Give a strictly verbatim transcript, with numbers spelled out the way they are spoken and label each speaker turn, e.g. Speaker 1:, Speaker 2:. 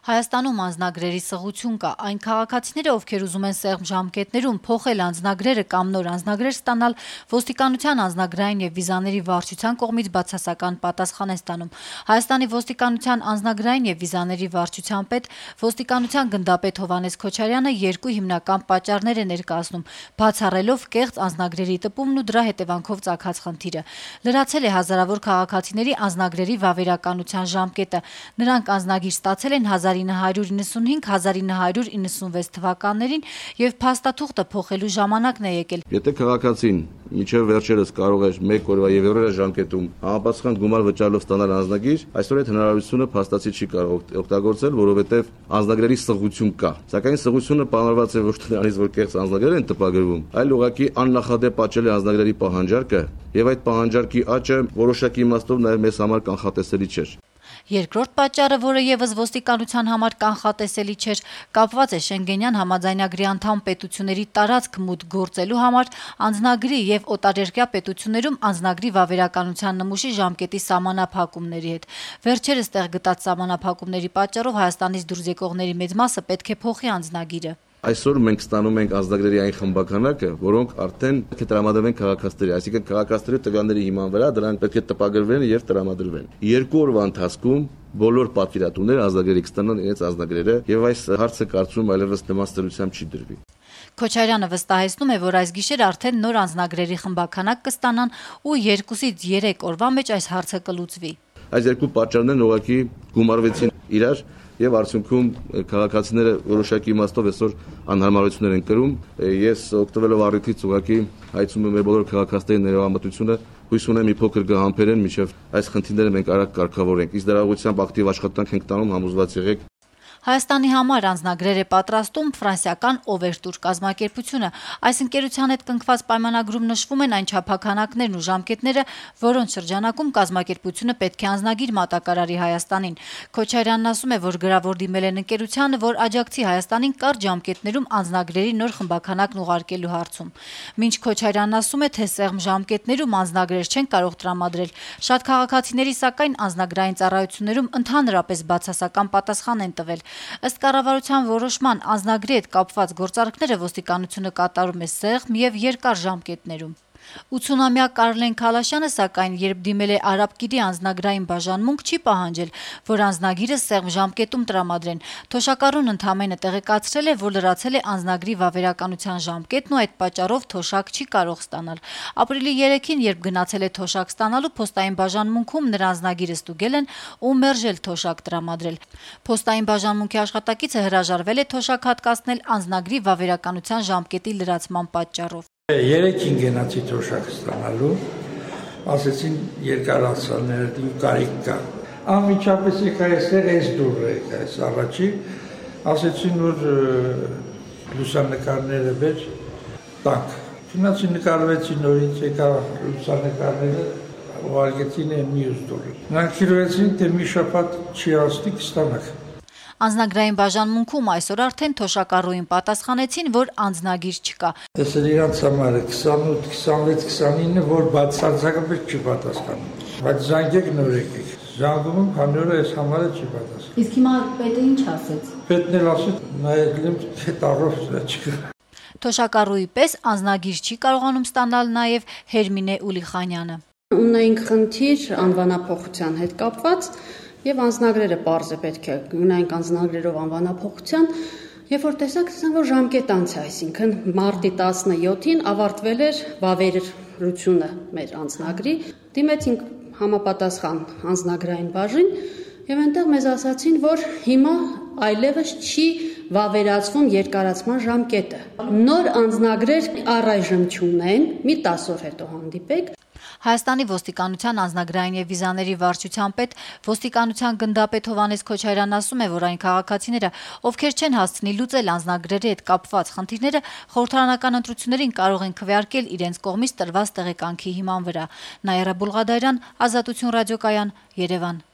Speaker 1: Հայաստանում անձնագրերի սղություն կա, այն քաղաքացիները, ովքեր ուզում են սեղմ ժամկետներում փոխել անձնագրերը կամ նոր անձնագրեր ստանալ, ոստիկանության անձնագրային եւ վիզաների վարչության կողմից բացասական պատասխան են ստանում։ Հայաստանի ոստիկանության անձնագրային եւ վիզաների վարչության պետ, ոստիկանության գնդապետ Հովհաննես Քոչարյանը երկու հիմնական պատճառներ է ներկայացնում, բացառելով կեղծ անձնագրերի տպումն ու դրա հետևանքով ծագած խնդիրը։ Լրացել է հազարավոր քաղաքացիների անձնագրերի վավերականության ժամկետը։ Նրանք անձնագիր ստացել են հազար ինը հարյուր իննսունհինգ - հազար ինը հարյուր իննսունվեց թվականներին եւ փաստաթուղթը փոխելու ժամանակն է եկել։
Speaker 2: Եթե քաղաքացին մինչև վերջերս կարող էր մեկ օրվա եւ երրորդ ժամկետում համապատասխան գումար վճարելով ստանալ անձնագիր, այսօր այդ հնարավորությունը փաստացի չի կարող օգտագործել, որովհետեւ անձնագրերի սղություն կա։ Սակայն սղությունը պահանջված է ոչ թե նրանից, որ կեղծ անձնագրեր են տպագրվում, այլ ուղղակի աննախադեպ աճել է անձնագրերի պահանջարկը եւ այդ պահանջարկի աճը որոշակի իմաստով նաեւ մեզ համար կանխատեսելի չէր։
Speaker 1: Երկրորդ պատճառը, որը եւս ոստիկանության համար կանխատեսելի չէր, կապված է Շենգենյան համաձայնագրի անդամ պետությունների տարածք մուտք գործելու համար անձնագրի եւ օտարերկրյա պետություններում անձնագրի վավերականության նմուշի ժամկետի սահմանափակումների հետ։ Վերջերս տեղ գտած սահմանափակումների պատճառով Հայաստանից դուրս եկողների մեծ մասը պետք է փոխի անձնագիրը։
Speaker 2: Այսօր մենք ստանում ենք անձնագրերի այն խմբականակը, որոնք արդեն պետք է տրամադրվեն քաղաքացիների, այսինքն քաղաքացիների տվյալների հիման վրա դրանք պետք է տպագրվեն եւ տրամադրվեն։ Երկու օրվա ընթացքում բոլոր պատվիրատուները անձնագրերի կստանան իրենց անձնագրերը եւ այս հարցը կարծում այլևս նման ստորությամբ չի դրվի։
Speaker 1: Քոչարյանը վստահեցնում է, որ այս գիշեր արդեն նոր անձնագրերի խմբականակ կստանան ու երկուսից երեք օրվա մեջ այս հարցը կլուծվի։
Speaker 2: Այս երկու պատճառներն ուղղակի գումարվեցին իրար եւ արդյունքում քաղաքացիները որոշակի իմաստով այսօր անհարմարություններ են կրում։ Ես օգտվելով առիթից ուղղակի հայցում եմ մեր բոլոր քաղաքացիների ներողամտությունը, հույս ունեմ մի փոքր կհամբերեն, մինչեւ այս խնդիրները մենք արագ կարգավորենք։ Իսկ դրա ուղղությամբ ակտիվ աշխատանք ենք տանում, համոզված եղեք։
Speaker 1: Հայաստանի համար անձնագրեր է պատրաստում ֆրանսիական Overtour կազմակերպությունը։ Այս ընկերության հետ կնքված պայմանագրում նշվում են այն չափականակներն ու ժամկետները, որոնց շրջանակում կազմակերպությունը պետք է անձնագիր մատակարարի Հայաստանին։ Քոչարյանն ասում է, որ գրավոր դիմել են ընկերությանը, որ աջակցի Հայաստանին կարճ ժամկետներում անձնագրերի նոր խմբականակն ուղարկելու հարցում։ Մինչ Քոչարյանն ասում է, թե սեղմ ժամկետներում անձնագրեր չեն կարող տրամադրել, շատ քաղաքացիների սակայն անձնագրային ծառայություններում ընդհանրապես բացասական պատասխան են տվել։ Ըստ կառավարության որոշման անձնագրի հետ կապված գործարքները ոստիկանությունը կատարում է սեղմ եւ երկար ժամկետներում։ ութսունամյա Կարլեն Քալաշյանը սակայն երբ դիմել է Արաբկիրի անձնագրային բաժանմունք չի պահանջել, որ անձնագիրը սեղմ ժամկետում տրամադրեն։ Թոշակառուն ընդամենը տեղեկացրել է, որ լրացել է անձնագրի վավերականության ժամկետն ու այդ պատճառով թոշակ չի կարող ստանալ։ Ապրիլի երեքին, երբ գնացել է թոշակ ստանալու, փոստային բաժանմունքում նրա անձնագիրը ստուգել են ու մերժել թոշակ տրամադրել։ Փոստային բաժանմունքի աշխատակիցը հրաժարվել է թոշակ հատկացնել անձնագրի վավերականության ժամկետի լրացման պատճառով։
Speaker 3: Երեքին գնացի թոշակ ստանալու, ասեցին երկարացաներ ու կարիք կա։ Անմիջապես եկա այստեղ այս դուրը եկա, այս առաջի, ասեցին, որ լուսանկարները վեր տանք։ Գնացի նկարվեցի նորից, եկա լուսանկարները, ուղարկեցին այն մյուս դուրը։ Նրանք քիրվեցին, թե մի շաբաթ չի անցնի կստանաք։
Speaker 1: Անձնագրային բաժանմունքում այսօր արդեն թոշակառուին պատասխանեցին, որ անձնագիր չկա։
Speaker 3: Տեսել իրանց համարը քսանութ, քսանվեց, քսանինը, որ բացարձակապես չի պատասխանում։ Բայց զանգեք նոր եկեք։ Զանգում եմ, քանի որ այս համարը չի պատասխանում։
Speaker 1: Իսկ հիմա պետը ինչ ասեց։
Speaker 3: Պետն էլ ասեց, նայել եմ, թե տարով չկա։
Speaker 1: Թոշակառուի պես անձնագիր չի կարողանում ստանալ նաև Հերմինե Ուլիխանյանը։
Speaker 4: Ունենք խնդիր անվանափոխության հետ կապված եւ անձնագրերը պարզ է պետք է ունենք անձնագրերով անվանափոխության, երբ որ տեսակ տեսանք, որ ժամկետ անց է, այսինքն մարտի տասնյոթին ավարտվել էր վավերությունը մեր անձնագրի, դիմեցինք համապատասխան անձնագրային բաժին եւ այնտեղ մեզ ասացին, որ հիմա այլևս չի վավերացվում երկարացման ժամկետը։ Նոր անձնագրեր առայժմ չունեն, մի տասը օր հետո հանդիպեք։
Speaker 1: Հայաստանի ոստիկանության անձնագրային եւ վիզաների վարչության պետ, ոստիկանության գնդապետ Հովհաննես Քոչարյանն ասում է, որ այն քաղաքացիները, ովքեր չեն հասցնի լուծել անձնագրերի հետ կապված խնդիրները, խորհրդարանական ընտրություններին կարող են քվեարկել իրենց կողմից տրված տեղեկանքի հիման վրա։ Նաիրա Բուլղադարյան, Ազատություն ռադիոկայան, Երևան։